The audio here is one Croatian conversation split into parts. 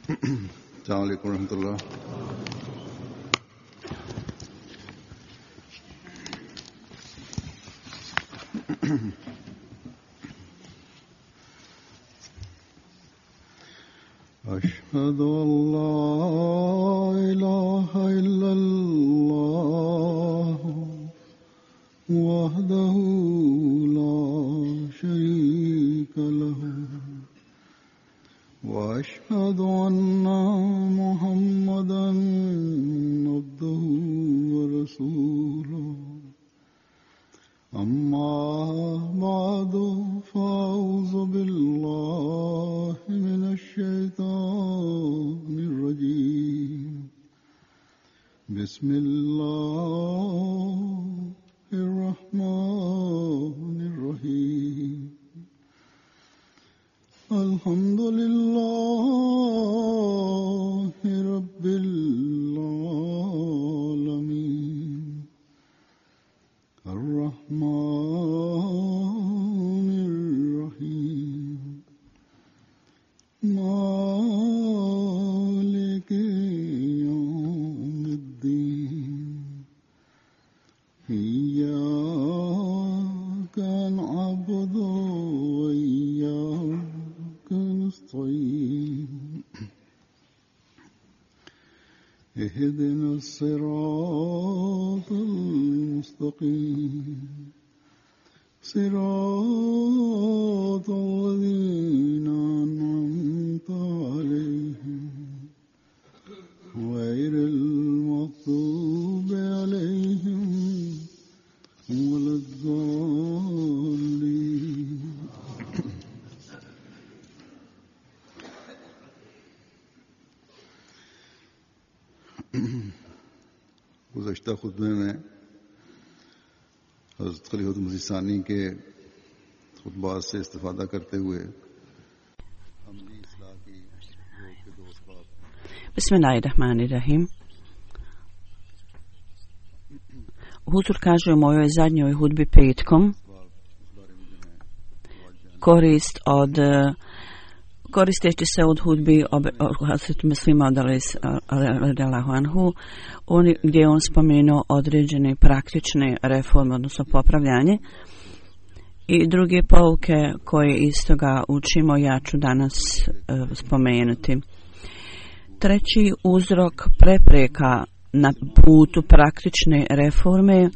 Assalamu alaikum warahmatullah. أشهد أن لا إله إلا الله وحده لا شريك له وأشهد أن محمدا عبده ورسوله أما بعد فأعوذ بالله من الشيطان الرجيم بسم الله الرحمن الرحيم الحمد لله رب العالمين الرحمن الرحيم مالك يوم الدين إياك نعبد وإياك نستعين اهدنا الصراط المستقيم صراط الذين أنعمت عليهم غير المغضوب عليهم ولا الضالين. गुज़श्ता खुतबे में हज़रत खलीफतुल मसीह सानी के खुतबात से इस्तिफ़ादा करते हुए अमली इस्लाह की रोक के दो असबाब। Bismillahirrahmanirrahim. Huzur kaže u mojoj zadnjoj hudbi petkom koristeći se od hudbi Hazreti Muslima radijallahu anhu, gdje on spomenuo određene praktične reforme, odnosno popravljanje, i druge pouke koje iz toga učimo, ja ću danas spomenuti. Treći uzrok prepreka na putu praktične reforme,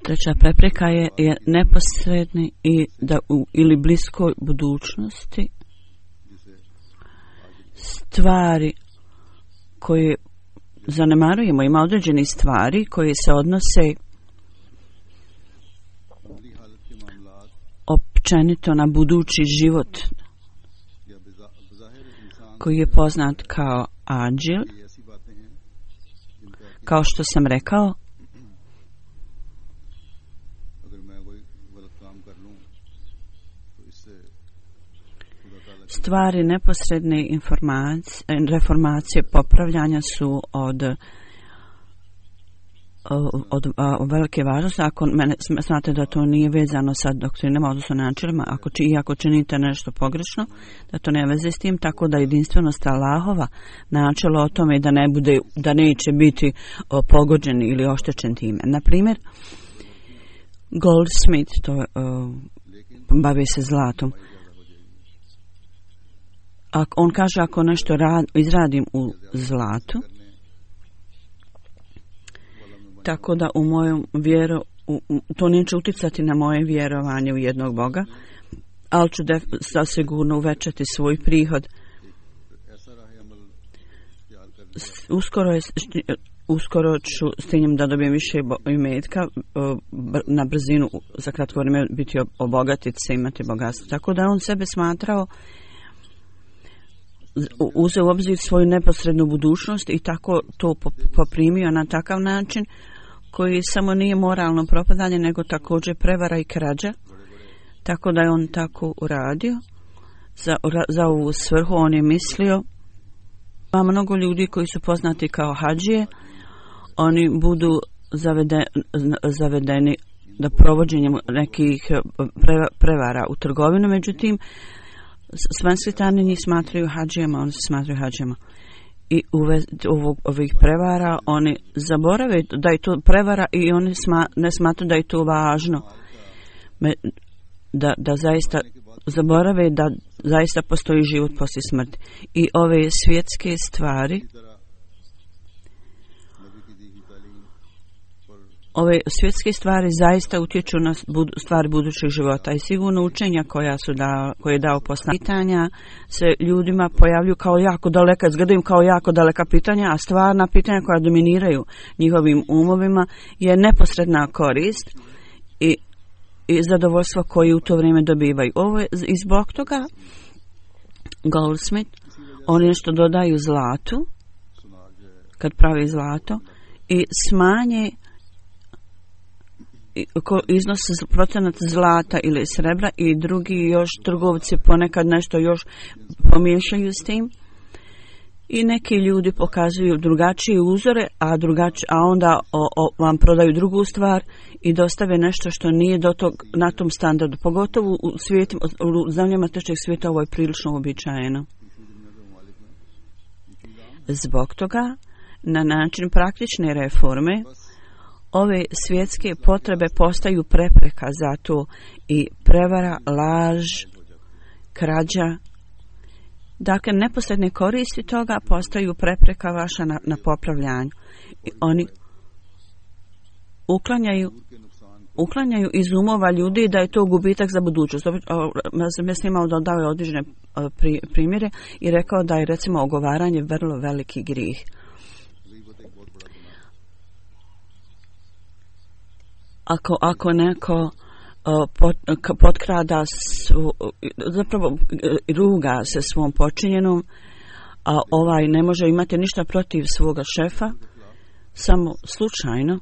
treća prepreka je neposredni i da ili bliskoj budućnosti stvari koje zanemarujemo. Ima određeni stvari koje se odnose općenito na budući život koji je poznat kao ađil. Kao što sam rekao, stvari neposredne reformacije popravljanja su od velike važnosti. Ako znate da to nije vezano sa doktrinama, odnosno načelima, ako činite nešto pogrešno, da to ne veze s tim, tako da jedinstvenost Allahova načelo o tome da neće biti pogođen ili oštećen time. Na primjer, Goldsmith, bavi se zlatom. On kaže, ako nešto izradim u zlatu, tako da u mojom to neće uticati na moje vjerovanje u jednog Boga, ali ću sigurno uvećati svoj prihod. Uskoro ću s tim da dobijem više imetka, na brzinu za kratko vrijeme biti obogatiti se, imati bogatstvo. Tako da on sebe smatrao, uzeo u obzir svoju neposrednu budućnost i tako to poprimio na takav način koji samo nije moralno propadanje, nego također prevara i krađa. Tako da je on tako uradio. Za ovu svrhu on je mislio, ima mnogo ljudi koji su poznati kao hadžije, oni budu zavedeni da provođenjem nekih prevara u trgovinu, međutim Svenskitani njih smatraju hadžijama, oni se smatraju hadžijama. I ovih prevara oni zaborave da je to prevara i oni ne smatruju da je to važno. Da zaista zaborave da zaista postoji život poslije smrti. I ove svjetske stvari, ove svjetske stvari zaista utječu na stvari budućeg života i sigurno učenja koje je dao poslanik. Pitanja se ljudima pojavljuju kao jako daleka, izgledaju kao jako daleka pitanja, a stvarna pitanja koja dominiraju njihovim umovima je neposredna korist i zadovoljstvo koje u to vrijeme dobivaju. Ovo je i zbog toga Goldsmith, oni nešto dodaju zlatu, kad pravi zlato, i smanje iznos procenat zlata ili srebra i drugi još trgovci ponekad nešto još pomiješaju s tim. I neki ljudi pokazuju drugačije uzore, a onda vam prodaju drugu stvar i dostave nešto što nije na tom standardu. Pogotovo u zemljama trećeg svijeta ovo je prilično uobičajeno. Zbog toga, na način praktične reforme, ove svjetske potrebe postaju prepreka za to i prevara, laž, krađa. Dakle, neposredne koristi toga postaju prepreka vaša na popravljanju. I oni uklanjaju iz umova ljudi da je to gubitak za budućnost. Ja sam imao dodao određene primjere i rekao da je recimo ogovaranje vrlo veliki grijeh. Ako neko potkrada zapravo ruga se svom počinjenom, a ne može imati ništa protiv svoga šefa, samo slučajno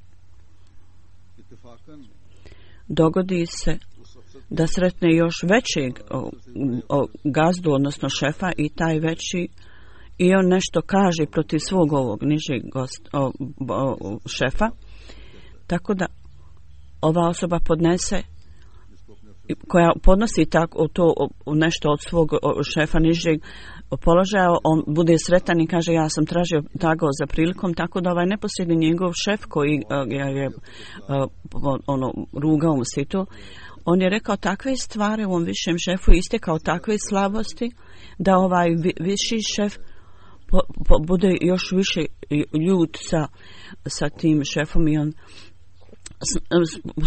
dogodi se da sretne još većeg gazdu, odnosno šefa, i taj veći i on nešto kaže protiv svog ovog nižeg šefa, tako da ova osoba koja podnosi tako to nešto od svog šefa nižeg položaja, on bude sretan i kaže ja sam tražio tako za prilikom, tako da neposredni njegov šef koji je rugao mu se to, on je rekao takve stvari ovom višem šefu, istekao takve slabosti da viši šef bude još više ljut sa tim šefom i on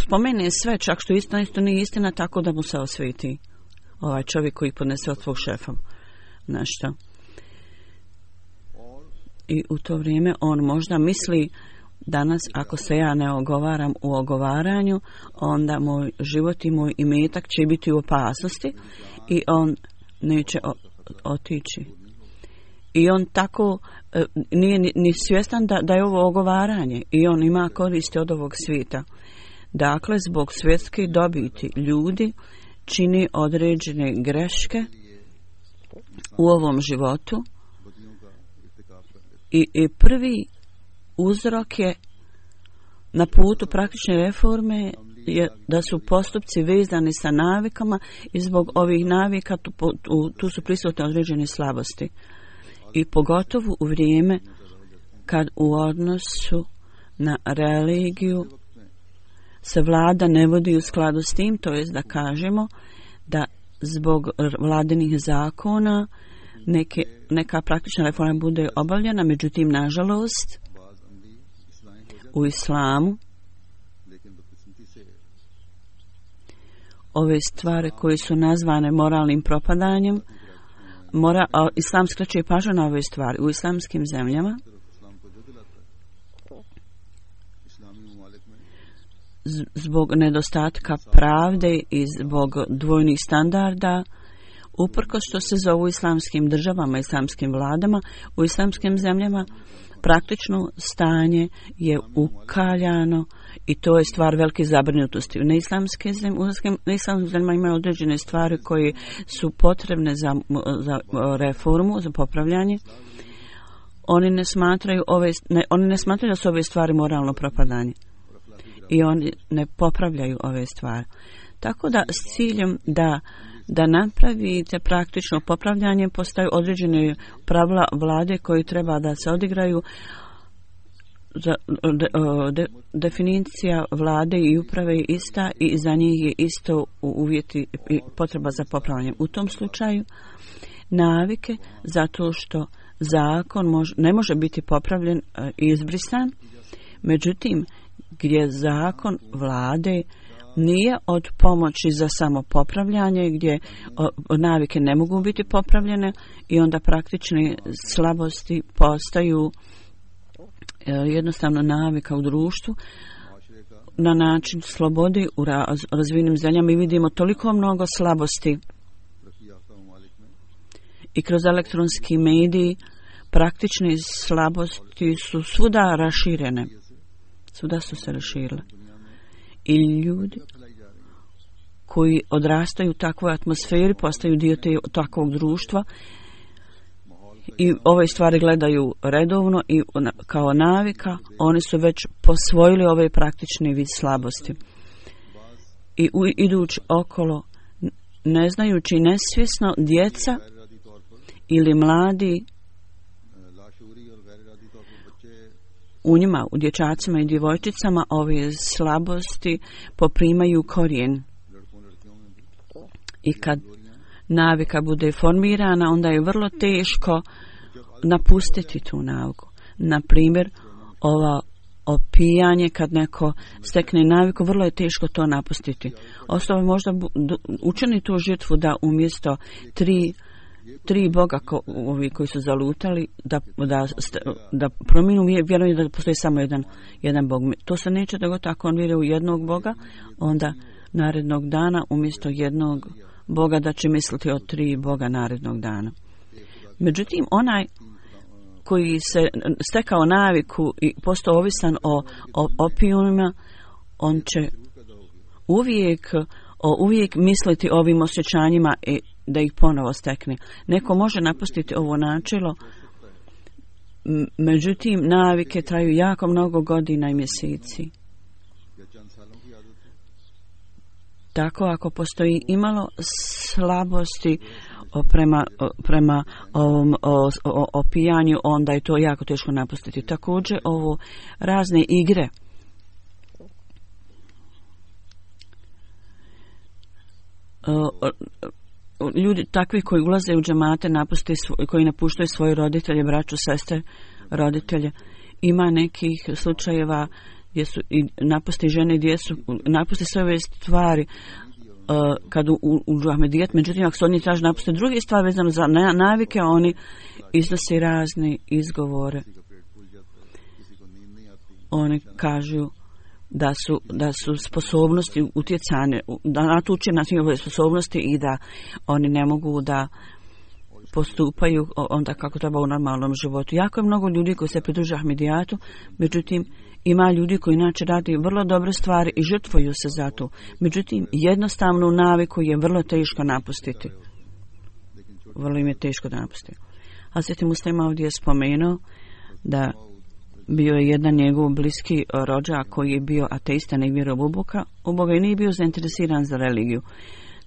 spomene sve, čak što isto nije istina, tako da mu se osveti čovjek koji podnese od svog šefa nešto. I u to vrijeme on možda misli danas, ako se ja ne ogovaram u ogovaranju, onda moj život i moj imetak će biti u opasnosti i on neće otići. I on tako nije ni svjestan da je ovo ogovaranje i on ima koristi od ovog svijeta. Dakle, zbog svjetske dobiti ljudi čini određene greške u ovom životu i prvi uzrok je na putu praktične reforme je da su postupci vezani sa navikama i zbog ovih navika tu su prisutne određene slabosti. I pogotovo u vrijeme kad u odnosu na religiju se vlada ne vodi u skladu s tim, to jest da kažemo da zbog vladinih zakona neka praktična reforma bude obavljena, međutim, nažalost, u islamu ove stvari koje su nazvane moralnim propadanjem, islam skreće pažnju na ove stvari. U islamskim zemljama zbog nedostatka pravde i zbog dvojnih standarda, uprkos što se zovu islamskim državama, islamskim vladama, u islamskim zemljama praktično stanje je ukaljano i to je stvar velike zabrinutosti. U neislamskim zemljama imaju određene stvari koje su potrebne za reformu, za popravljanje. Oni ne smatraju da su ove stvari moralno propadanje i oni ne popravljaju ove stvari. Tako da s ciljem da da napravite praktično popravljanje, postaju određene pravila vlade koji treba da se odigraju. Definicija vlade i uprave je ista i za njih je isto uvjeti i potreba za popravljanjem. U tom slučaju navike, zato što zakon ne može biti popravljen i izbrisan, međutim gdje zakon vlade nije od pomoći za samo popravljanje, gdje navike ne mogu biti popravljene i onda praktične slabosti postaju jednostavno navika u društvu. Na način slobode u razvijenim zemljama mi vidimo toliko mnogo slabosti i kroz elektronski mediji praktične slabosti su svuda raširene. Svuda su se raširile. I ljudi koji odrastaju u takvoj atmosferi postaju dio takvog društva i ove stvari gledaju redovno i kao navika, oni su već posvojili ove praktične vid slabosti. I idući okolo, ne znajući nesvjesno, djeca ili mladi u njima, u dječacima i djevojčicama, ove slabosti poprimaju korijen. I kad navika bude formirana, onda je vrlo teško napustiti tu naviku. Na primjer, opijanje, kad neko stekne naviku, vrlo je teško to napustiti. Osoba možda učini tu žrtvu da umjesto tri boga ovi koji su zalutali da promijenu, vjerujem da postoji samo jedan bog. To se neće dogoditi ako on vjeruje u jednog boga, onda narednog dana umjesto jednog boga da će misliti o 3 boga narednog dana. Međutim, onaj koji se stekao naviku i postao ovisan o opijumima, on će uvijek misliti o ovim osjećanjima i da ih ponovo stekne. Neko može napustiti ovo načelo, međutim navike traju jako mnogo godina i mjeseci. Tako ako postoji imalo slabosti prema ovom opijanju, onda je to jako teško napustiti. Također ovo razne igre. Ljudi takvi koji ulaze u džemate, koji napuštaju svoje roditelje, braću, sestre, roditelje. Ima nekih slučajeva gdje su i napusti žene, gdje su napusti sve ove stvari kad u Ahmedijet, međutim ako se oni traže napusti druge stvari vezano za navike, oni iznose razne izgovore. Oni kažu da su sposobnosti utjecane, da natuče na njihove sposobnosti i da oni ne mogu da postupaju onda kako treba u normalnom životu. Jako je mnogo ljudi koji se pridruže Ahmedijatu, međutim ima ljudi koji inače radi vrlo dobre stvari i žrtvuju se za to. Međutim, jednostavnu naviku je vrlo teško napustiti. Vrlo im je teško da napustiti. Hazreti Muslima ovdje je spomenuo da bio je jedan njegov bliski rođak koji je bio ateista, ne vjerovao u Boga i nije bio zainteresiran za religiju.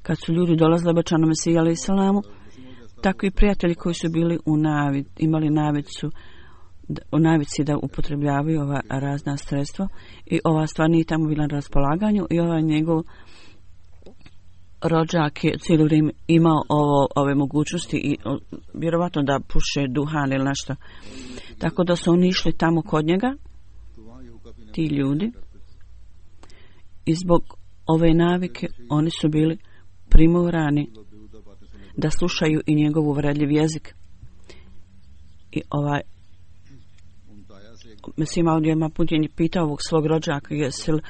Kad su ljudi dolazili obećanom Mesiji alejhi salamu, takvi prijatelji koji su bili imali navici da upotrebljavaju ova razna sredstva i ova stvar nije tamo bila na raspolaganju i ovaj njegov rođak je cijelo vrijeme imao ove mogućnosti i vjerovatno da puše duhan ili nešto. Tako da su oni išli tamo kod njega, ti ljudi, i zbog ove navike oni su bili primorani da slušaju i njegov uvredljiv jezik. I mislim, ovdje ima put je pitao ovog svog rođaka jesi li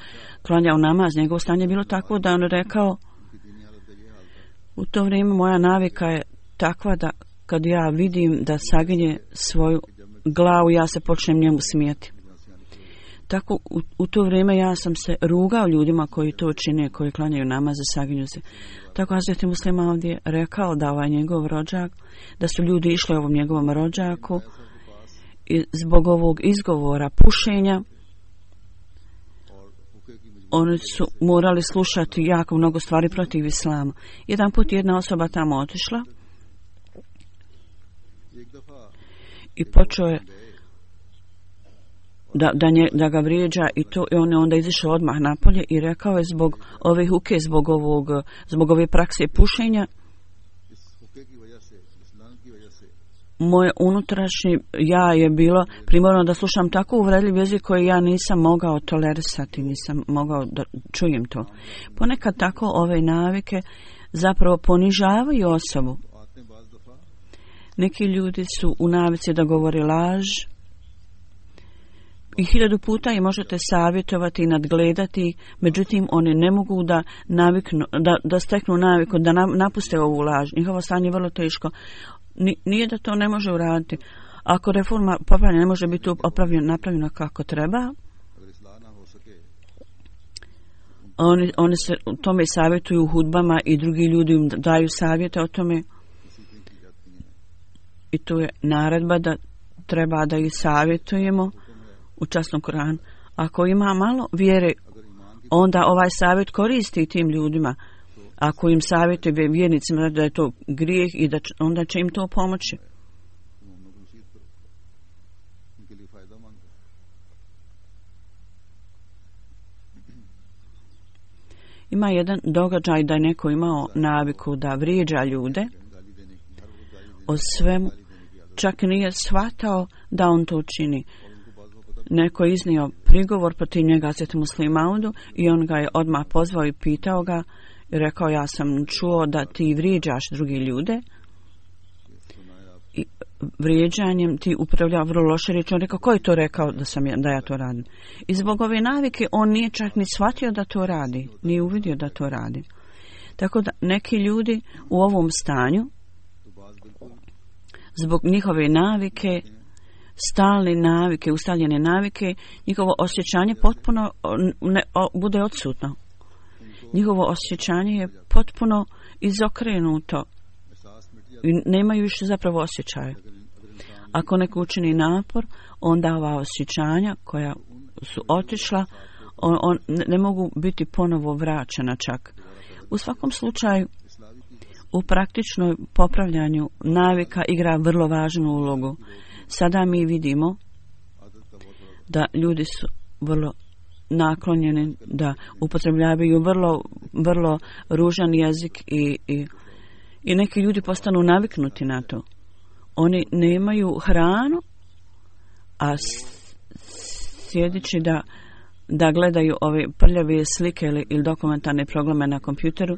klanjao namaz. Njegovo stanje je bilo takvo da on rekao, u to vrijeme moja navika je takva da kad ja vidim da saginje svoju glavu, ja se počnem njemu smijeti. Tako u to vrijeme ja sam se rugao ljudima koji to čine, koji klanjaju namaz i saginju se. Tako Hazreti Muslima ovdje rekao da ovaj njegov rođak, da su ljudi išli ovom njegovom rođaku i zbog ovog izgovora pušenja oni su morali slušati jako mnogo stvari protiv islama. Jedan put jedna osoba tamo otišla i počeo je da ga vrijeđa i to, i on je onda izišao odmah napolje i rekao je zbog ove huke, zbog ove prakse pušenja, moje unutrašnje ja je bilo primorano da slušam tako uvredljiv jezik koji ja nisam mogao tolerisati, nisam mogao da čujem to. Ponekad tako ove navike zapravo ponižavaju osobu. Neki ljudi su u navici da govore laž i 1000 puta je možete savjetovati i nadgledati, međutim oni ne mogu da steknu naviku, da napuste ovu laž. Njihovo stanje je vrlo teško. Nije da to ne može uraditi. Ako reforma popravljena ne može biti napravljena kako treba, oni se o tome savjetuju u hudbama i drugi ljudi im daju savjete o tome. I tu je naredba da treba da ih savjetujemo u časnom Koranu. Ako ima malo vjere, onda ovaj savjet koristi tim ljudima. Ako im savjetuje vjernicima da je to grijeh i onda će im to pomoći. Ima jedan događaj da je neko imao naviku da vrijeđa ljude o svemu, čak nije shvatao da on to čini. Neko je iznio prigovor protiv njega Hazreti Muslima Maudu i on ga je odmah pozvao i pitao ga i rekao, ja sam čuo da ti vrijeđaš drugi ljude i vrijeđanjem ti upravlja vrlo loše riječi. On rekao, ko je to rekao da ja to radim? I zbog ove navike on nije čak ni shvatio da to radi, nije uvidio da to radi. Tako da neki ljudi u ovom stanju zbog njihove navike, stalne navike, ustaljene navike, njihovo osjećanje potpuno bude odsutno. Njihovo osjećanje je potpuno izokrenuto i nemaju više zapravo osjećaje. Ako neko učini napor, onda ova osjećanja koja su otišla, ne mogu biti ponovo vraćena čak. U svakom slučaju, u praktičnoj popravljanju navika igra vrlo važnu ulogu. Sada mi vidimo da ljudi su vrlo naklonjeni da upotrebljavaju vrlo ružan jezik i neki ljudi postanu naviknuti na to. Oni nemaju hranu, a sjedići da gledaju ove prljave slike ili dokumentarne programe na kompjuteru,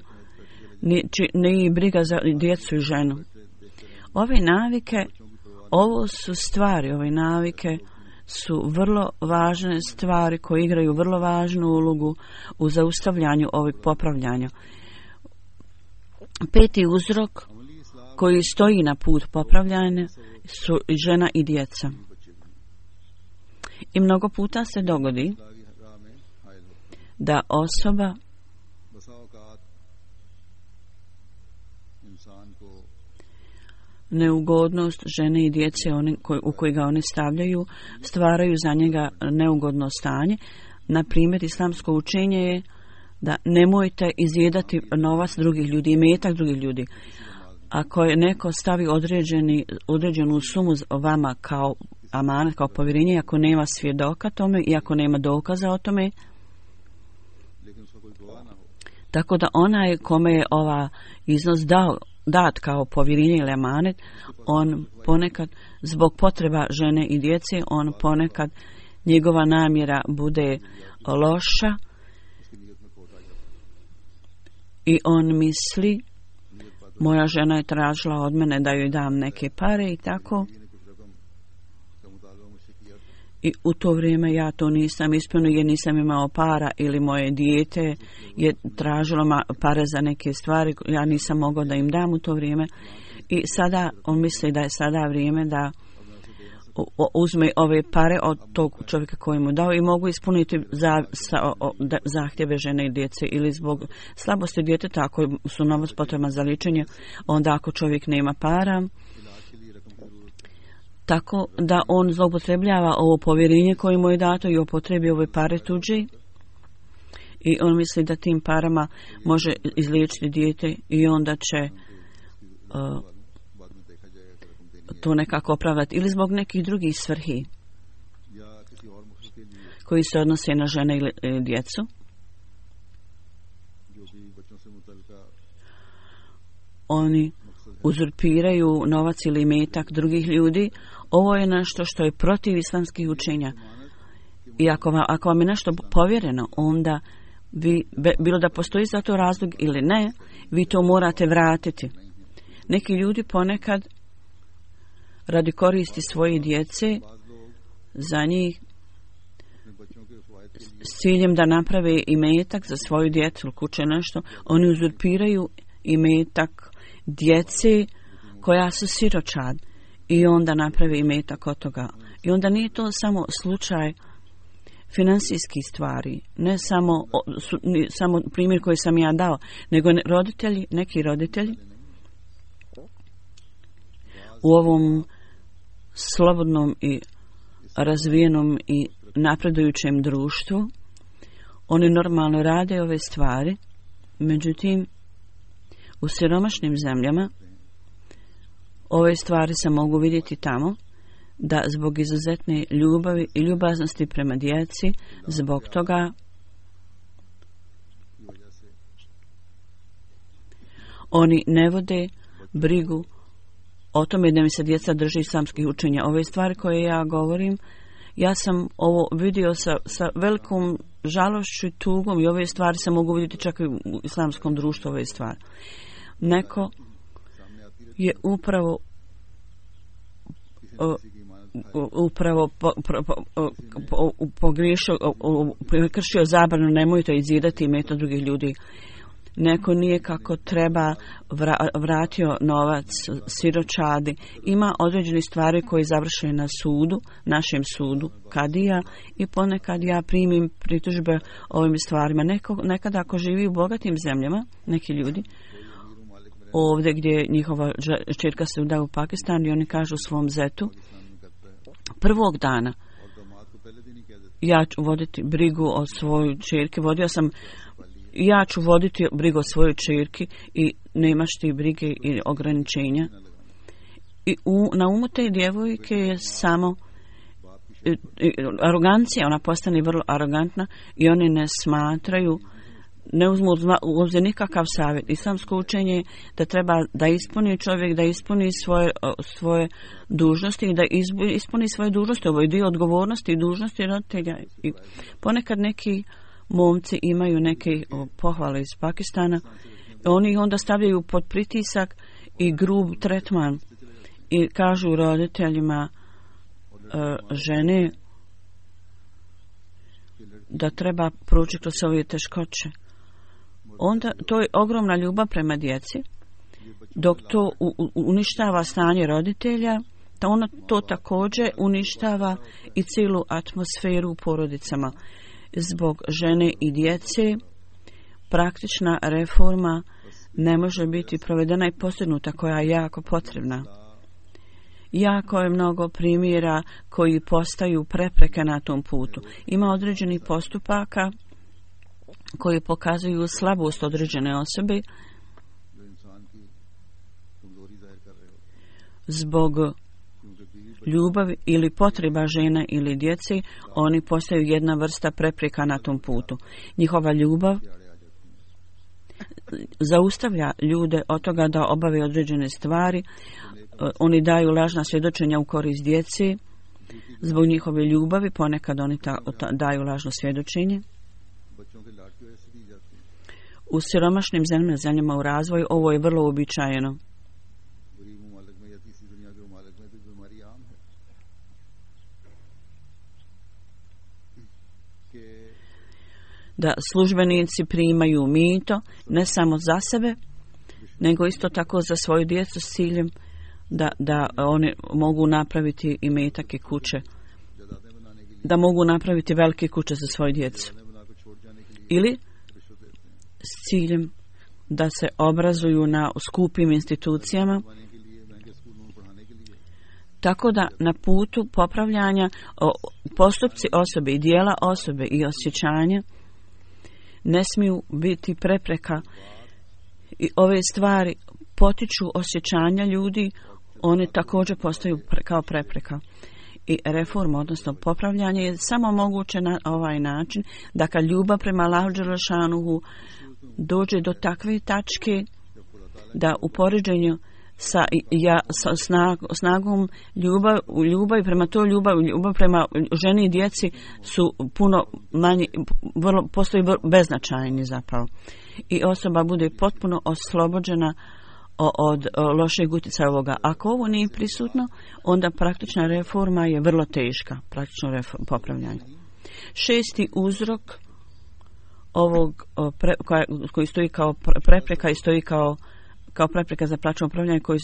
nije briga za djecu i ženu. Ove navike, ove navike su vrlo važne stvari koje igraju vrlo važnu ulogu u zaustavljanju ovih popravljanja. 5. uzrok koji stoji na put popravljanja su žena i djeca. I mnogo puta se dogodi da osoba neugodnost žene i djece u koji ga oni stavljaju stvaraju za njega neugodno stanje. Na primjer, islamsko učenje je da nemojte izjedati novac drugih ljudi, imetak drugih ljudi. Ako je neko stavi određenu sumu vama kao amanet, kao povjerenje, ako nema svjedoka tome i ako nema dokaza o tome, tako da onaj kome je ova iznos dat kao povjerenje ili amanet, on ponekad zbog potreba žene i djece, on ponekad njegova namjera bude loša i on misli, moja žena je tražila od mene da joj dam neke pare i tako. I u to vrijeme ja to nisam ispunio jer nisam imao para ili moje dijete je tražilo pare za neke stvari, ja nisam mogao da im dam u to vrijeme. I sada on misli da je sada vrijeme da uzme ove pare od tog čovjeka koji mu dao i mogu ispuniti zahtjeve žene i djece ili zbog slabosti djeteta ako su novac potreban za liječenje, onda ako čovjek nema para, tako da on zloupotrebljava ovo povjerenje koje mu je dato i upotrebi ove pare tuđe i on misli da tim parama može izliječiti dijete i onda će to nekako opravdati ili zbog nekih drugih svrhi koji se odnose na žene ili djecu. Oni uzurpiraju novac ili imetak drugih ljudi. Ovo je nešto što je protiv islamskih učenja. I ako vam je nešto povjereno, onda vi, bilo da postoji za to razlog ili ne, vi to morate vratiti. Neki ljudi ponekad radi koristi svoje djece za njih s ciljem da naprave imetak za svoju djecu ili kuće nešto, oni uzurpiraju imetak djece koja su siročad i onda naprave imetak od toga. I onda nije to samo slučaj financijskih stvari, ne samo primjer koji sam ja dao, nego neki roditelji u ovom slobodnom i razvijenom i napredujućem društvu, oni normalno rade ove stvari, međutim u siromašnim zemljama ove stvari se mogu vidjeti tamo da zbog izuzetne ljubavi i ljubaznosti prema djeci, zbog toga oni ne vode brigu o tome da mi se djeca drži islamskih učenja. Ove stvari koje ja govorim, ja sam ovo vidio sa velikom žalošću i tugom i ove stvari se mogu vidjeti čak i u islamskom društvu, ove stvari. Neko je upravo pogriješio, prekršio zabranu nemojte izjedati imetak drugih ljudi. Neko nije kako treba vratio novac siročadi. Ima određene stvari koje završe na sudu, našem sudu, kadija, i ponekad ja primim pritužbe o ovim stvarima. Nekada ako živi u bogatim zemljama, neki ljudi, ovdje gdje njihova čerka se uda u Pakistan i oni kažu svom zetu, prvog dana ja ću voditi brigu o svojoj čerki, ja ću voditi brigu o svojoj čerki i nemaš ti brige i ograničenja. I na umu te djevojke je samo arogancija, ona postane vrlo arogantna i oni ne smatraju, ne uzmu u obzir nikakav savjet. Islamsko učenje da treba da ispuni čovjek, da ispuni svoje dužnosti i da ispuni svoje dužnosti. Ovo je dio odgovornosti i dužnosti roditelja. I ponekad neki momci imaju neke pohvale iz Pakistana, oni ih onda stavljaju pod pritisak i grub tretman i kažu roditeljima žene da treba proći kroz ove teškoće. Onda to je ogromna ljubav prema djeci, dok to uništava stanje roditelja, to također uništava i cijelu atmosferu u porodicama. Zbog žene i djece praktična reforma ne može biti provedena i postignuta, koja je jako potrebna. Jako je mnogo primjera koji postaju prepreke na tom putu. Ima određenih postupaka koji pokazuju slabost određene osobe zbog ljubavi ili potreba žena ili djece, oni postaju jedna vrsta prepreka na tom putu. Njihova ljubav zaustavlja ljude od toga da obave određene stvari, oni daju lažna svjedočenja u korist djece, zbog njihove ljubavi ponekad oni daju lažno svjedočenje. U siromašnim zemljama u razvoju ovo je vrlo uobičajeno. Da službenici primaju mito ne samo za sebe, nego isto tako za svoju djecu s ciljem da oni mogu napraviti imetak i kuće, da mogu napraviti velike kuće za svoju djecu. Ili s ciljem da se obrazuju na skupim institucijama, tako da na putu popravljanja postupci osobe i dijela osobe i osjećanja ne smiju biti prepreka i ove stvari potiču osjećanja ljudi, one također postaju kao prepreka. I reforma, odnosno popravljanje, je samo moguće na ovaj način da kad ljubav prema Allahu dželešanuhu dođe do takve tačke da u poređenju sa snagom ljubavi prema toj ljubav prema ženi i djeci su puno manji, postoji beznačajni zapravo. I osoba bude potpuno oslobođena od lošeg utjecaja ovoga. Ako ovo nije prisutno, onda praktična reforma je vrlo teška, praktično popravljanje. Šesti uzrok ovog koji stoji kao prepreka i stoji kao prepreka za praktično upravljanje koji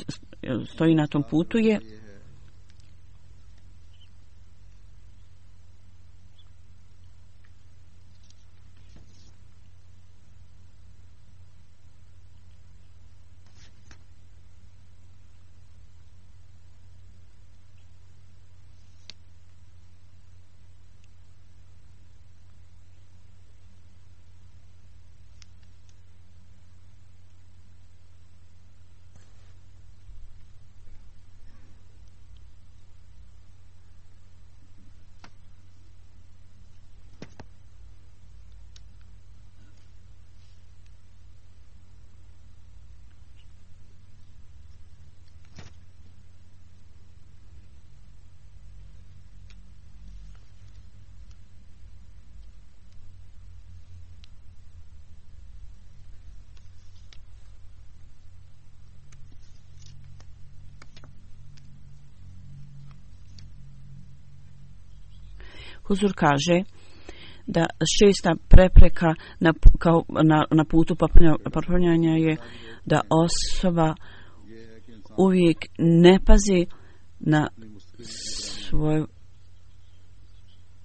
stoji na tom putu je Huzur kaže da šesta prepreka na putu popravljanja je da osoba uvijek ne pazi na svoje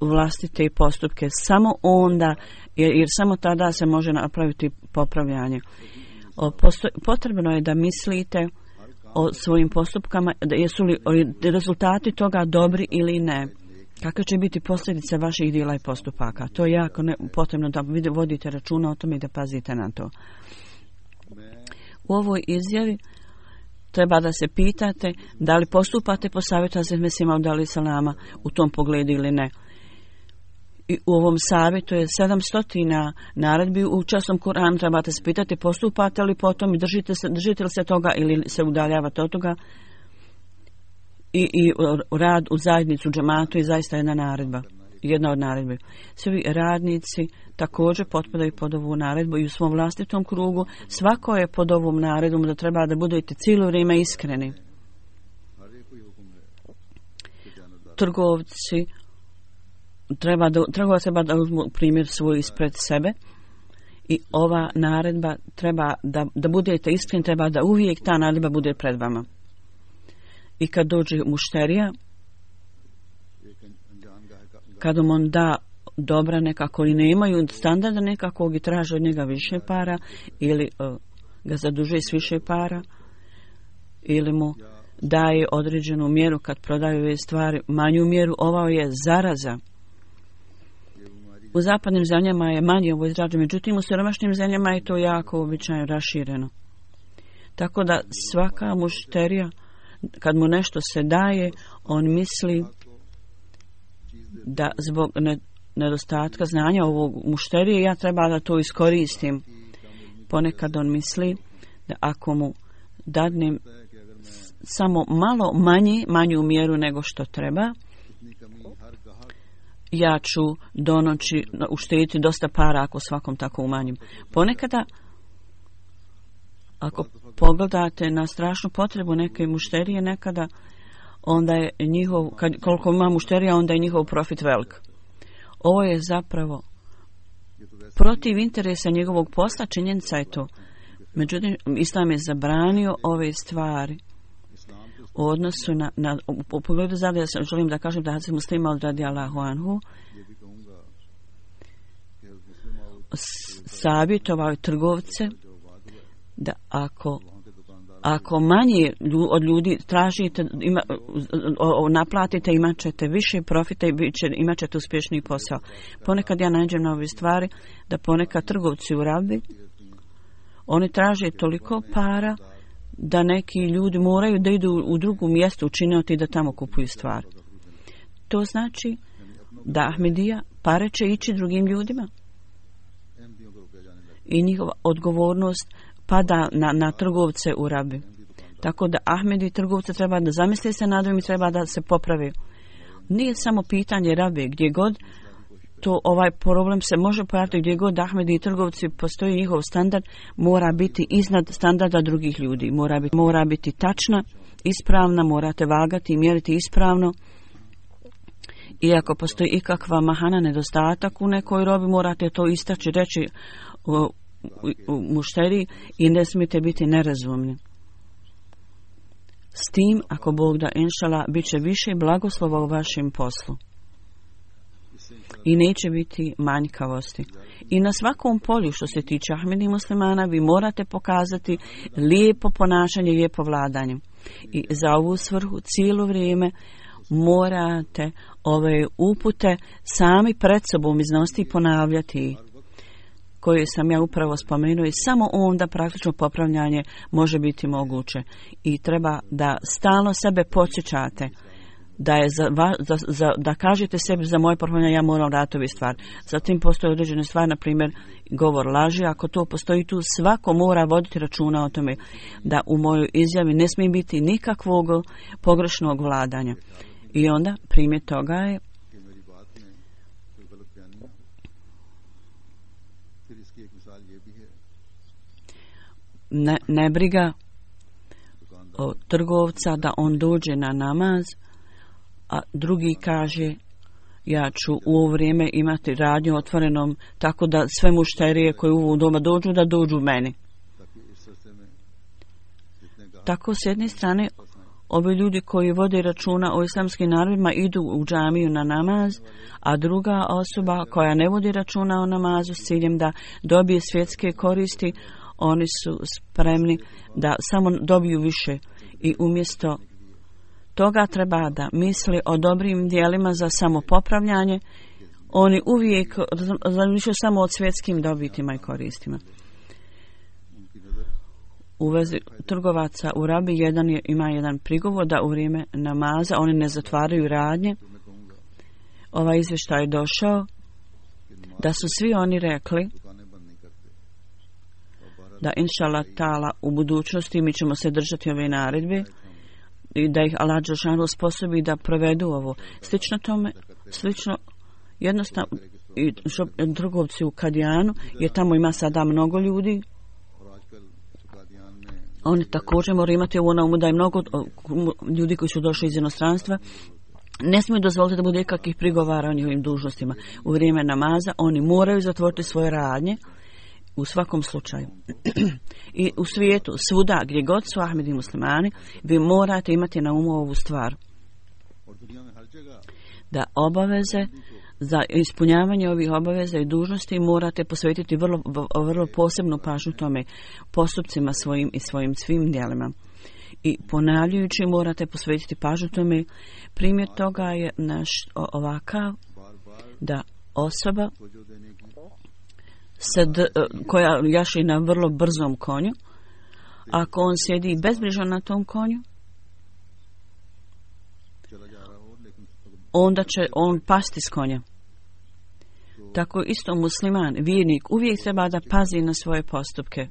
vlastite postupke. Samo onda, jer samo tada se može napraviti popravljanje. Potrebno je da mislite o svojim postupkama, jesu li rezultati toga dobri ili ne. Kakve će biti posljedice vaših djela i postupaka? To je jako potrebno da vodite računa o tome i da pazite na to. U ovoj izjavi treba da se pitate da li postupate po savjetu Hazreti Mesih Maud alejhi selama u tom pogledu ili ne. I u ovom savjetu je 700 naredbi u časnom Kur'anu. Trebate se pitati postupate li po tom i držite li se toga ili se udaljavate od toga. I rad u zajednicu, džematu je zaista jedna od naredbi. Svi radnici također potpadaju pod ovu naredbu i u svom vlastitom krugu svako je pod ovom naredbom da treba da budete cijelo vrijeme iskreni. Trgovci treba da uzmu primjer svoj ispred sebe i ova naredba treba da budete iskreni, treba da uvijek ta naredba bude pred vama. I kad dođe mušterija, kad on da dobra nekako i nemaju standarda nekakvog i traže od njega više para ili ga zadužuje s više para ili mu daje određenu mjeru kad prodaju ove stvari, manju mjeru, ovo je zaraza. U zapadnim zemljama je manje ovo izrađeno, međutim u siromašnim zemljama je to jako običajno rašireno. Tako da svaka mušterija kad mu nešto se daje, on misli da zbog nedostatka znanja ovog mušterije ja treba da to iskoristim. Ponekad on misli da ako mu dadnem samo malo manju mjeru nego što treba, ja ću do noći uštediti dosta para ako svakom tako umanjim. Ponekada, ako pogledate na strašnu potrebu neke mušterije, nekada onda je koliko ima mušterija, onda je njihov profit velik. Ovo je zapravo protiv interesa njegovog posla, činjenica je to. Međutim, Islam je zabranio ove stvari u odnosu u pogledu zadnje, želim da kažem da Hazreti Muslih Maud radijallahu anhu savjetovao trgovce da ako Ako manje od ljudi tražite, naplatite, imat ćete više profita i imat ćete uspješniji posao. Ponekad ja nađem na ove stvari da ponekad trgovci u Rabi, oni traže toliko para da neki ljudi moraju da idu u drugo mjesto učiniti da tamo kupuju stvar. To znači da Ahmedija pare će ići drugim ljudima i njihova odgovornost pada na trgovce u Rabi. Tako da Ahmedi trgovce treba da zamisle se nad ovim i treba da se poprave. Nije samo pitanje Rabi, gdje god to ovaj problem se može pojaviti, gdje god Ahmedi i trgovci postoji, njihov standard mora biti iznad standarda drugih ljudi. Mora biti tačna, ispravna, morate vagati i mjeriti ispravno. I ako postoji ikakva mahana, nedostatak u nekoj robi, morate to istaći, reći u mušteriji i ne smijete biti nerazumni. S tim, ako Bog da, inšala, bit će više blagoslova u vašem poslu. I neće biti manjkavosti. I na svakom polju što se tiče Ahmedi muslimana, vi morate pokazati lijepo ponašanje, lijepo vladanje. I za ovu svrhu cijelo vrijeme morate ove upute sami pred sobom iznositi i ponavljati, koje sam ja upravo spomenuo, i samo onda praktično popravljanje može biti moguće. I treba da stalno sebe podsjećate da je da kažete sebi za moje popravljanje ja moram raditi ovu stvar. Zatim postoje određene stvari, na primjer govor laži. Ako to postoji tu, svako mora voditi računa o tome da u mojoj izjavi ne smije biti nikakvog pogrešnog vladanja. I onda primjer toga je nebriga od trgovca da on dođe na namaz, a drugi kaže ja ću u ovo vrijeme imati radnju otvorenom tako da sve mušterije koje u doma dođu da dođu meni. Tako s jedne strane ovi ljudi koji vode računa o islamskim narodima idu u džamiju na namaz, a druga osoba koja ne vodi računa o namazu s ciljem da dobije svjetske koristi, oni su spremni da samo dobiju više i umjesto toga treba da misli o dobrim dijelima za samopopravljanje. Oni uvijek razmišljaju samo o svjetskim dobitima i koristima. U vezi trgovaca u Rabi ima jedan prigovor da u vrijeme namaza oni ne zatvaraju radnje. Ovaj izvještaj je došao da su svi oni rekli da inšallah ta'ala u budućnosti mi ćemo se držati ove naredbe i da ih Allah dželešanu sposobi da provedu ovo. Slično tome, jednostavno i trgovci u Kadijanu, jer tamo ima sada mnogo ljudi. Oni također moraju imati ovo na umu da je mnogo ljudi koji su došli iz inostranstva. Ne smiju dozvoliti da bude kakvih prigovara o njihovim dužnostima. U vrijeme namaza oni moraju zatvoriti svoje radnje u svakom slučaju. I u svijetu, svuda gdje god su Ahmedi muslimani, vi morate imati na umu ovu stvar. Da obaveze, za ispunjavanje ovih obaveza i dužnosti morate posvetiti vrlo posebnu pažnju tome, postupcima svojim i svojim svim djelima. I ponavljajući morate posvetiti pažnju tome. Primjer toga je naš ovakav da osoba koja jaši na vrlo brzom konju, ako on sjedi bezbrižno na tom konju, onda će on pasti s konja. Tako isto musliman, vjernik, uvijek treba da pazi na svoje postupke.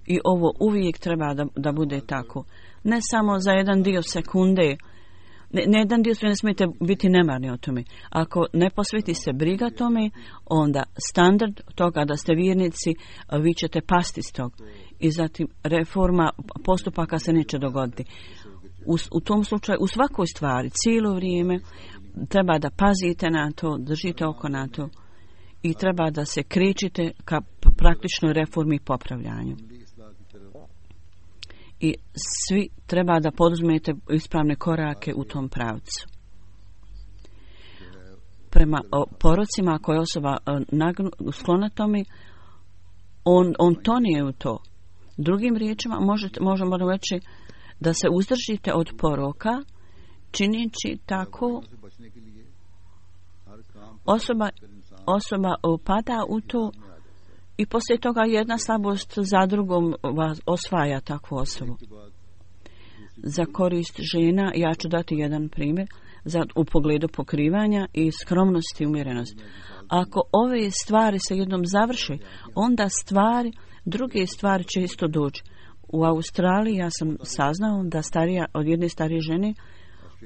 I ovo uvijek treba da bude tako. Ne samo za jedan dio sekunde. Ne jedan dio ne smijete biti nemarni o tome. Ako ne posveti se briga tome, onda standard toga da ste vjernici, vi ćete pasti s tog. I zatim reforma postupaka se neće dogoditi. U tom slučaju, u svakoj stvari, cijelo vrijeme treba da pazite na to, držite oko na to i treba da se krećite ka praktičnoj reformi i popravljanju. I svi treba da poduzmete ispravne korake u tom pravcu. Prema porocima, ako je osoba sklona tome, on tonije u to. Drugim riječima možemo reći da se uzdržite od poroka, činjeći tako osoba upada u to i poslije toga jedna slabost za drugom vas osvaja takvu osobu. Za korist žena ja ću dati jedan primjer u pogledu pokrivanja i skromnosti i umjerenosti. Ako ove stvari se jednom završe, onda druge stvari će isto doći. U Australiji ja sam saznao da od jedne starije žene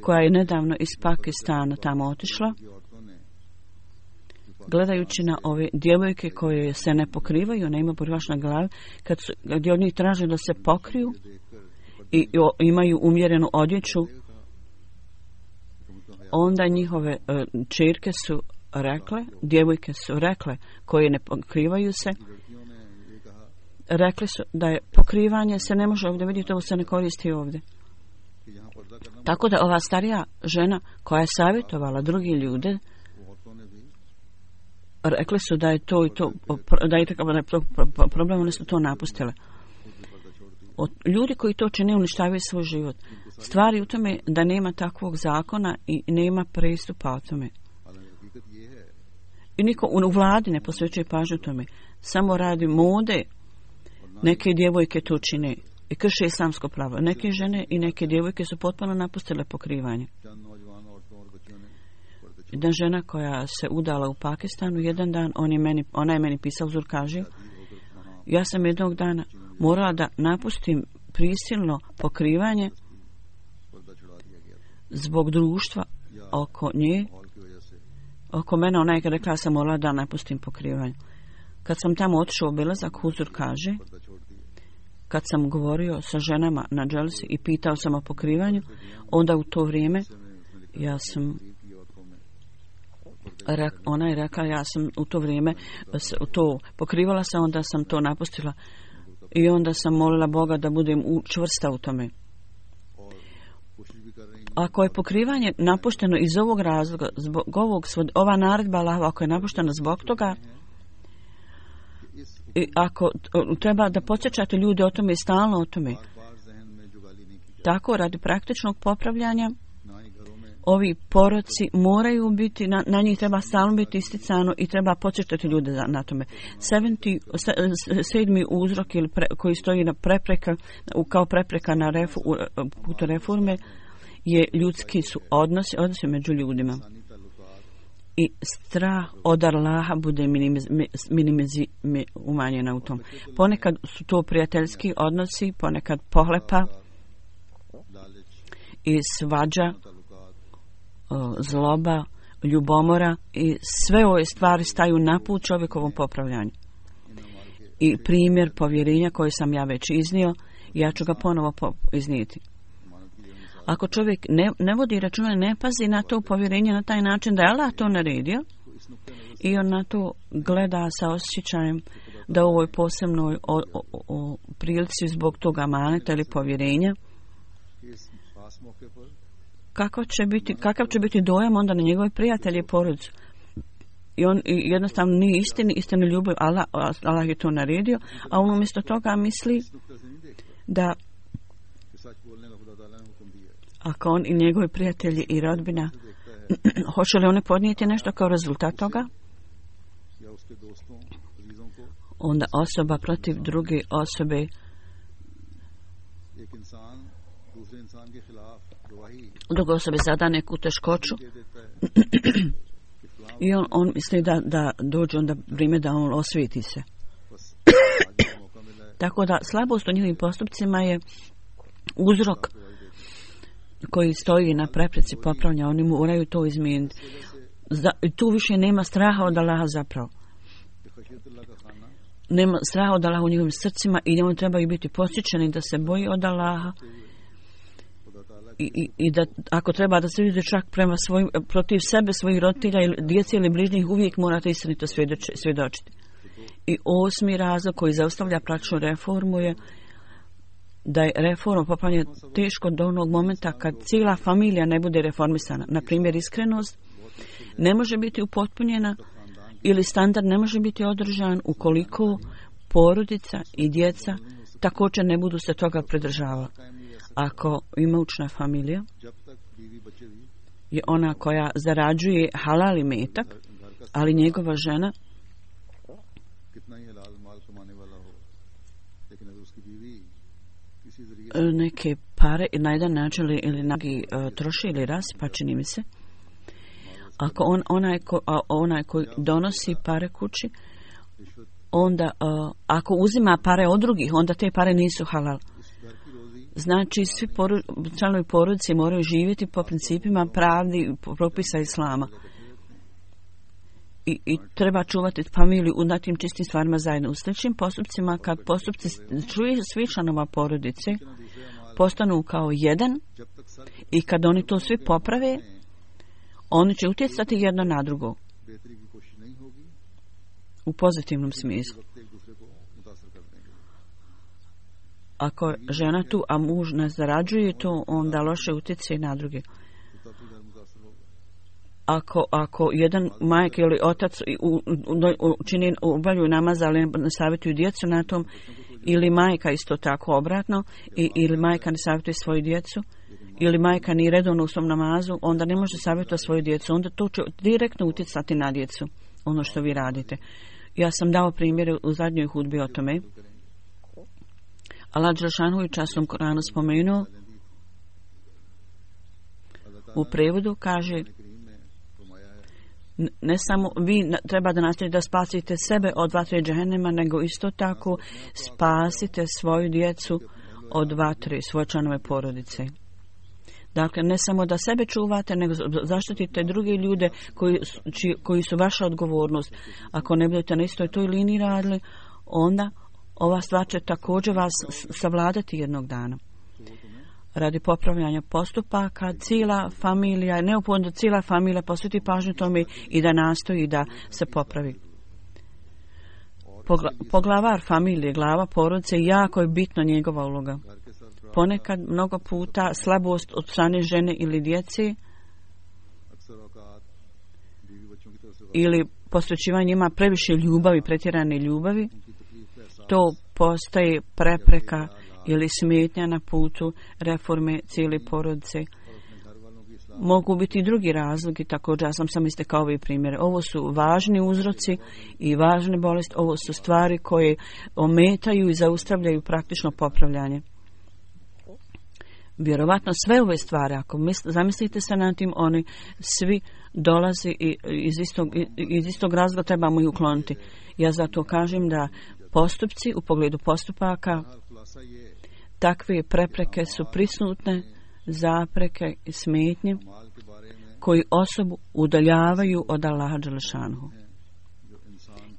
koja je nedavno iz Pakistana tamo otišla, gledajući na ove djevojke koje se ne pokrivaju, ne imaju pokrivač na glavi, gdje od njih traže da se pokriju i imaju umjerenu odjeću, onda njihove čerke su rekle, djevojke su rekle, koje ne pokrivaju se, rekli su da je pokrivanje se ne može ovdje vidjeti, ovo se ne koristi ovdje. Tako da ova starija žena koja je savjetovala drugi ljude, rekli su da je to i to, da je to problem, oni su to napustile. Ljudi koji to čine uništavaju svoj život. Stvari u tome da nema takvog zakona i nema pristupa o tome. I niko u vladi ne posvećuje pažnju tome. Samo radi mode. Neke djevojke to čine i krše islamsko pravo. Neke žene i neke djevojke su potpuno napustile pokrivanje. Jedna žena koja se udala u Pakistanu, jedan dan ona je meni pisala, uzor kaže, ja sam jednog dana morala da napustim prisilno pokrivanje zbog društva oko nje. Oko mene ona je rekla, ja sam morala da napustim pokrivanje. Kad sam tamo otišao u obilazak, huzur kaže, kad sam govorio sa ženama na dželsi i pitao sam o pokrivanju, onda u to vrijeme ona je rekla, ja sam u to vrijeme to pokrivala sam, onda sam to napustila i onda sam molila Boga da budem čvrsta u tome. Ako je pokrivanje napušteno iz ovog razloga, zbog ova naredba Allahova, ako je napuštena zbog toga, i ako treba da podsjećate ljude o tome i stalno o tome, tako radi praktičnog popravljanja, ovi poroci moraju biti, na njih treba stalno biti isticano i treba podsjećati ljude na tome. Sedmi uzrok koji stoji na kao prepreka na putu reforme je ljudski su odnosi među ljudima. I strah od Allaha bude umanjena u tom. Ponekad su to prijateljski odnosi, ponekad pohlepa i svađa, zloba, ljubomora i sve ove stvari staju na put čovjekovom popravljanju. I primjer povjerenja koji sam ja već iznio, ja ću ga ponovo iznijeti. Ako čovjek ne vodi računa, ne pazi na to povjerenje na taj način da je Allah to naredio i on na to gleda sa osjećajem da u ovoj posebnoj prilici zbog toga amaneta ili povjerenja, kakav će biti dojam onda na njegove prijatelje i porodicu. I on jednostavno nije istinu ljubav, Allah je to naredio, a on umjesto toga misli da ako on i njegovi prijatelji i rodbina, hoće li oni podnijeti nešto kao rezultat toga? Onda osoba protiv druge osobe druga osoba zada neku teškoću i on misli da dođe onda vrijeme da on osvijeti se. Tako da slabost u njihovim postupcima je uzrok koji stoji na prepreci popravljanja. Oni moraju to izmijeniti. Tu više nema straha od Allaha zapravo. Nema straha od Allaha u njihovim srcima i oni trebaju biti posjećeni da se boji od Allaha i da ako treba da se vidi čak protiv sebe, svojih roditelja ili djece ili bližnjih, uvijek morate istinito svjedočiti. I osmi razlog koji zaustavlja praktičnu reformu je da je reforma popravljanja teško do onog momenta kad cijela familija ne bude reformisana. Na primjer, iskrenost ne može biti upotpunjena ili standard ne može biti održan ukoliko porodica i djeca također ne budu se toga pridržavali. Ako imućna familija je ona koja zarađuje halal imetak, ali njegova žena neke pare na jedan način ili nagi troši ili rasipa, čini mi se. Ako onaj koji donosi pare kući, onda ako uzima pare od drugih, onda te pare nisu halal. Znači, svi članovi porodice moraju živjeti po principima pravdi i propisa islama. I treba čuvati familiju u tim čistim stvarima zajedno. U sličnim postupcima, kad postupci svi članova porodice postanu kao jedan i kad oni to svi poprave, oni će utjecati jedno na drugo u pozitivnom smislu. Ako je žena tu, a muž ne zarađuje to, onda loše utječe na druge. Ako jedan majka ili otac obavljaju namaz, ali ne savjetuju djecu na tom, ili majka isto tako obratno, ili majka ne savjetuje svoju djecu, ili majka nije redovno u svom namazu, onda ne može savjetovati svoju djecu. Onda to će direktno utjecati na djecu, ono što vi radite. Ja sam dao primjere u zadnjoj hudbi o tome. Allah dželešanu u časnom Koranu spomenuo, u prevodu kaže, ne samo vi treba da nastavite da spasite sebe od vatre džehennema, nego isto tako spasite svoju djecu od vatre, svoje članove porodice. Dakle, ne samo da sebe čuvate, nego zaštitite druge ljude koji su vaša odgovornost. Ako ne budete na istoj toj liniji radili, onda ova stvar će također vas savladati jednog dana. Radi popravljanja postupaka, cijela familija, neophodno da cijela familija posveti pažnju tome i da nastoji da se popravi. Poglavar familije, glava porodice, jako je bitna njegova uloga. Ponekad, mnogo puta, slabost od strane žene ili djece ili posvećivanje njima previše ljubavi, pretjerane ljubavi, to postaje prepreka ili smetnja na putu reforme cijele porodice. Mogu biti i drugi razlogi, također ja sam istekao ove primjere. Ovo su važni uzroci i važne bolesti, ovo su stvari koje ometaju i zaustavljaju praktično popravljanje. Vjerovatno sve ove stvari, ako zamislite se nad tim, oni svi dolazi iz istog razloga, trebamo ih ukloniti. Ja zato kažem da postupci u pogledu postupaka, takve prepreke su prisutne, zapreke i smetnje koji osobu udaljavaju od Allaha dželešanu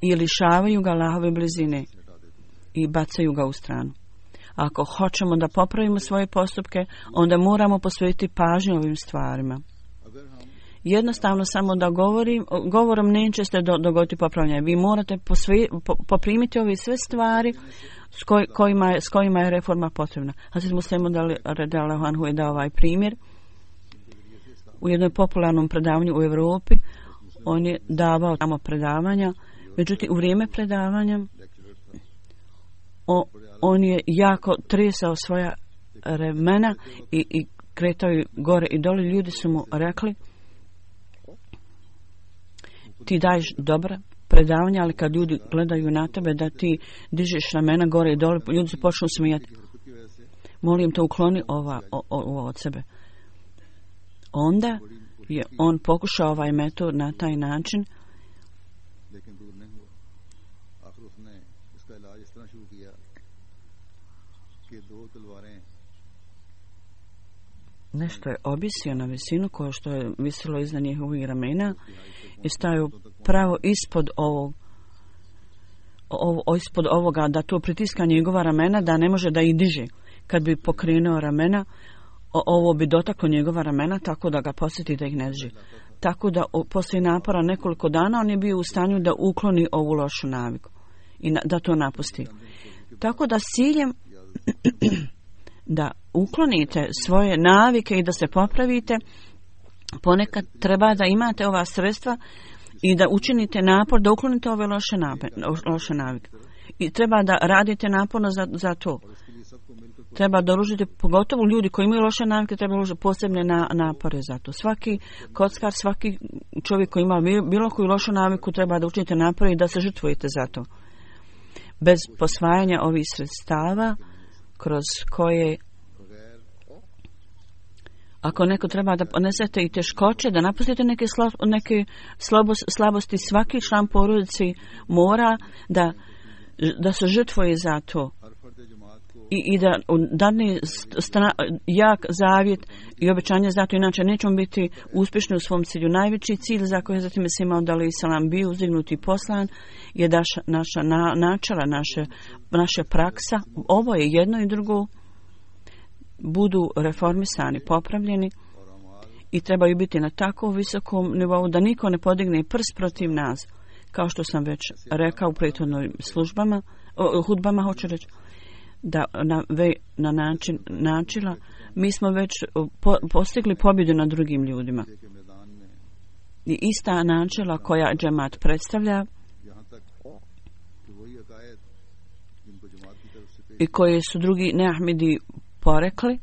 i lišavaju ga Allahove blizine i bacaju ga u stranu. Ako hoćemo da popravimo svoje postupke, onda moramo posvetiti pažnju ovim stvarima. Jednostavno samo da govorom neće se dogoditi popravljanje. Vi morate poprimiti ove sve stvari s kojima je reforma potrebna. Hazret Musleh radijallahu anhu je dao ovaj primjer. U jednom popularnom predavanju u Europi on je davao tamo predavanja, međutim u vrijeme predavanja on je jako tresao svoja remena i kretao je gore i dole. Ljudi su mu rekli, ti daješ dobra predavanja, ali kad ljudi gledaju na tebe da ti dižeš ramena gore i dole, ljudi se počnu smijati. Molim te, ukloni ovo od sebe. Onda je on pokušao ovaj metod na taj način. Nešto je objesio na visinu koje što je visilo iznad njihovih ramena i stajao pravo ispod ovoga, da to pritiska njegova ramena, da ne može da ih diže. Kad bi pokrenuo ramena, ovo bi dotaklo njegova ramena, tako da ga posjeti da ih ne diže. Tako da poslije napora nekoliko dana on je bio u stanju da ukloni ovu lošu naviku i da to napusti. Tako da s ciljem da uklonite svoje navike i da se popravite, ponekad treba da imate ova sredstva i da učinite napor da uklonite ove loše navike. I treba da radite naporno za to. Treba da uložite, pogotovo ljudi koji imaju loše navike, treba uložiti posebne napore za to. Svaki kockar, svaki čovjek koji ima bilo koju lošu naviku treba da učinite napore i da se žrtvujete za to. Bez posvajanja ovih sredstava kroz koje ako neko treba da ponesete i teškoće, da napustite neke slabosti, svaki član porodice mora da se žrtvuje za to i da dadne jak zavjet i obećanje za to, inače nećemo biti uspješni u svom cilju. Najveći cilj za koji je zatim se imao da li Isalam bio uzdignut i poslan je da naša načela, naša praksa, ovo je jedno i drugo, budu reformisani, popravljeni i trebaju biti na tako visokom nivou da niko ne podigne prst protiv nas. Kao što sam već rekao u prethodnim hudbama, hoću reći da na način načela mi smo već postigli pobjedu nad drugim ljudima. I ista načela koja džemat predstavlja i koje su drugi neahmedi porekli,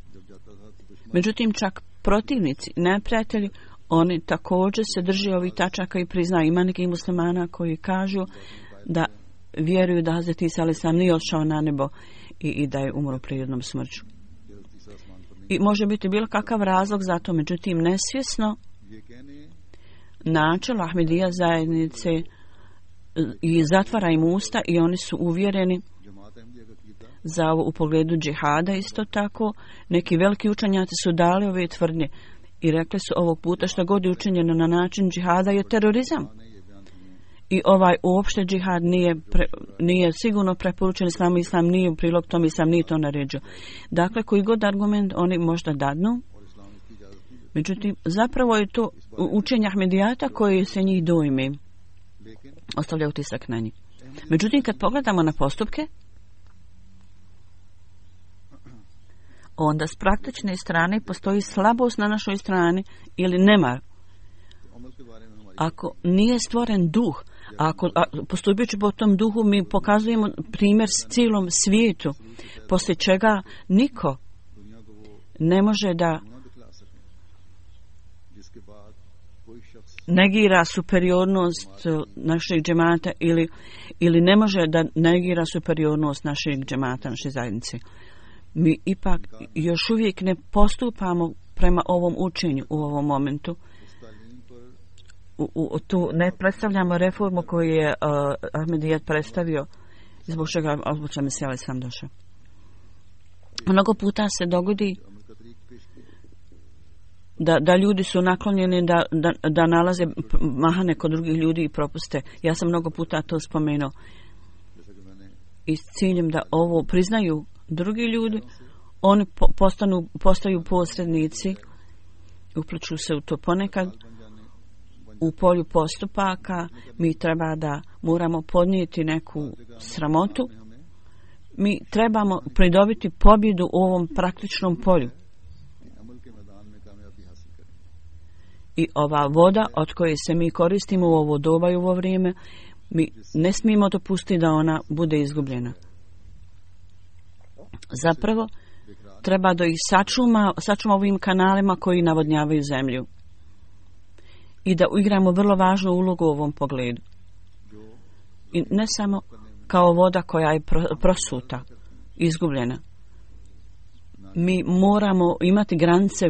međutim čak protivnici, neprijatelji, oni također se drže ovih tačaka i priznaju. Ima nekih muslimana koji kažu da vjeruju da Hazreti Isa alejhi selam nije otišao na nebo i da je umro prirodnom smrću. I može biti bilo kakav razlog za to, međutim nesvjesno načelo Ahmedija zajednice i zatvara im usta i oni su uvjereni za ovo u pogledu džihada. Isto tako neki veliki učenjaci su dali ove tvrdnje i rekli su ovog puta što god je učinjeno na način džihada je terorizam. I ovaj uopšte džihad nije sigurno preporučen islamu, islam nije u prilog tom, islam nije to naređio. Dakle, koji god argument oni možda dadnu, međutim, zapravo je to učenje Ahmedijata koje se njih dojme, ostavlja utisak na njih. Međutim, kad pogledamo na postupke, onda s praktične strane postoji slabost na našoj strani ili nemar. Ako nije stvoren duh, ako postupajući po tom duhu mi pokazujemo primjer s cijelom svijetu, poslije čega niko ne može da negira superiornost našeg džemata ili ne može da negira superiornost našeg džemata, naše zajednice. Mi ipak još uvijek ne postupamo prema ovom učenju u ovom momentu. Tu ne predstavljamo reformu koju je Ahmedijat predstavio, zbog čega se ali sam došao. Mnogo puta se dogodi da ljudi su naklonjeni da nalaze mahane kod drugih ljudi i propuste. Ja sam mnogo puta to spomenuo. I s ciljem da ovo priznaju drugi ljudi, oni postaju posrednici, upliču se u to ponekad. U polju postupaka mi treba da moramo podnijeti neku sramotu. Mi trebamo pridobiti pobjedu u ovom praktičnom polju. I ova voda od koje se mi koristimo u ovo doba i u ovo vrijeme, mi ne smijemo dopustiti da ona bude izgubljena. Zapravo, treba da ih sačuma ovim kanalima koji navodnjavaju zemlju. I da igramo vrlo važnu ulogu u ovom pogledu. I ne samo kao voda koja je prosuta, izgubljena. Mi moramo imati granice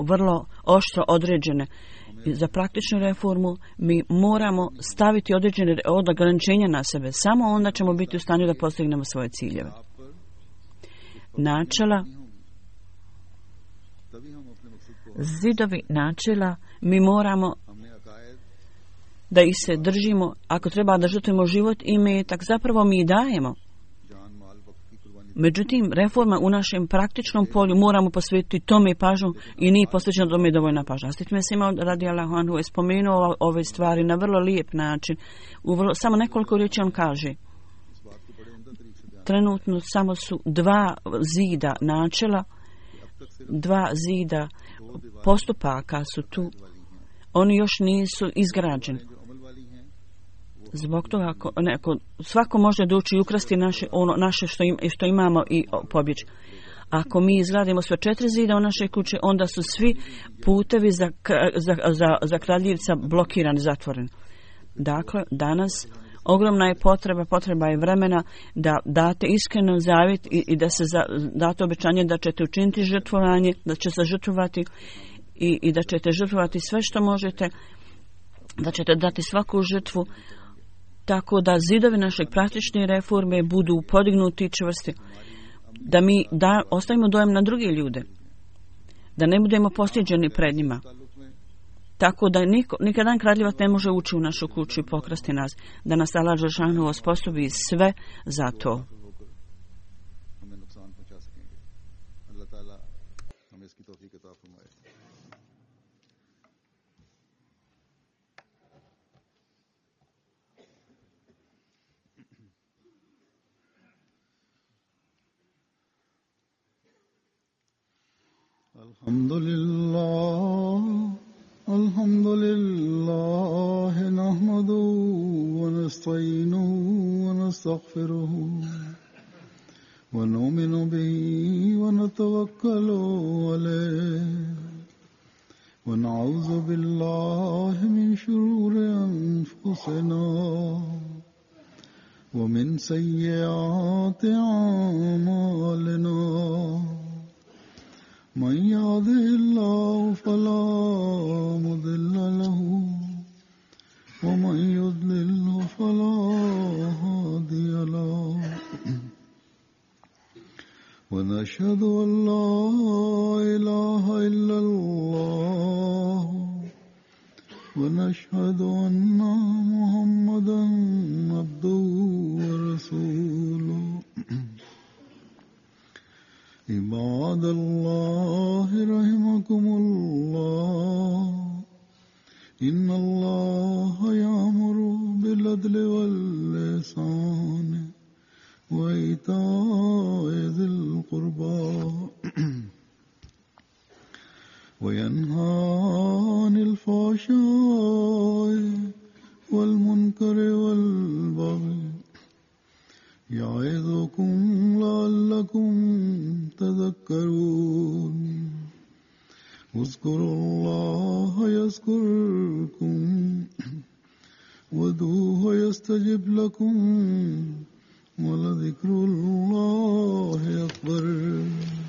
vrlo oštro određene. I za praktičnu reformu mi moramo staviti određene ograničenja na sebe. Samo onda ćemo biti u stanju da postignemo svoje ciljeve. Načela, zidovi načela, mi moramo da ih se držimo. Ako treba da žrtvujemo život i imetak, zapravo mi i dajemo. Međutim, reforma u našem praktičnom polju moramo posvetiti tome pažnju i nije posvećeno tome dovoljna pažnja. Astit Mesima radijallahu anhu je spomenuo ove stvari na vrlo lijep način. Samo nekoliko riječi on kaže. Trenutno samo su dva zida načela, dva zida postupaka su tu. Oni još nisu izgrađeni. Zbog toga svako može doći i ukrasti naše što imamo i pobjeći. Ako mi izgradimo sve 4 zida u naše kuće, onda su svi putevi za kradljivca blokirani, zatvoreni. Dakle, danas ogromna je potreba je vremena da date iskreno zavjet i da se date obećanje da ćete učiniti žrtvovanje, da će se žrtvovati i da ćete žrtvovati sve što možete, da ćete dati svaku žrtvu, tako da zidovi našeg praktične reforme budu podignuti i čvrsti. Da ostavimo dojam na druge ljude, da ne budemo postiđeni pred njima, tako da nikadan kradljivac ne može ući u našu kuću i pokrasti nas, da nas Allah dželešanu osposobi sve za to. Alhamdulillah nahmaduhu wa nasta'inuhu wa nastaghfiruhu wa nu'minu bihi wa natawakkalu alayhi wa na'udhu billahi min shururi anfusina wa min sayyiati a'malina. من يهده الله فلا مضل له ومن يضلل فلا هادي له ونشهد أن لا إله إلا الله ونشهد أن محمدا عبده ورسوله. عباد الله رحمكم الله إن الله يأمر بالعدل والإحسان وإيتاء ذي القربى وينهى عن الفحشاء والمنكر والبغي يعظكم لعلكم تذكرون. اذكروا الله يذكركم وادعوه يستجب لكم ولذكر الله أكبر.